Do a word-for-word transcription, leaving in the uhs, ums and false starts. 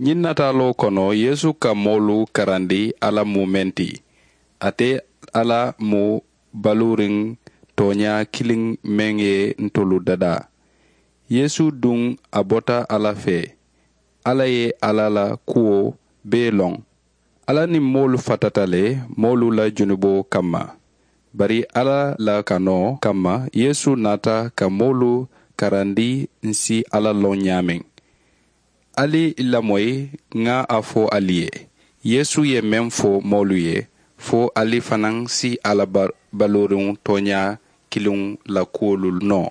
Ñiŋ nataaloo kono yeesu ka moolu karandi alla mu meŋ ti. Ate alla mu baluuriŋ tooñaa kiliŋ meŋ ye ntolu dadaa. Yeesu duŋ a bota alla fee. Alla ye alla la kuwo bee loŋ. Alla niŋ moolu fatata le moolu la junuboo kamma. Bari alla la kanoo kamma yeesu naata ka moolu karandi ǹ si alla loŋ ñaameŋ. Ali lamoyi ŋa a fo ali ye. Yeesu ye meŋ fo moolu ye fo ali fanaŋ si alla baluuriŋo tooñaa kiliŋo la kuwolu noo.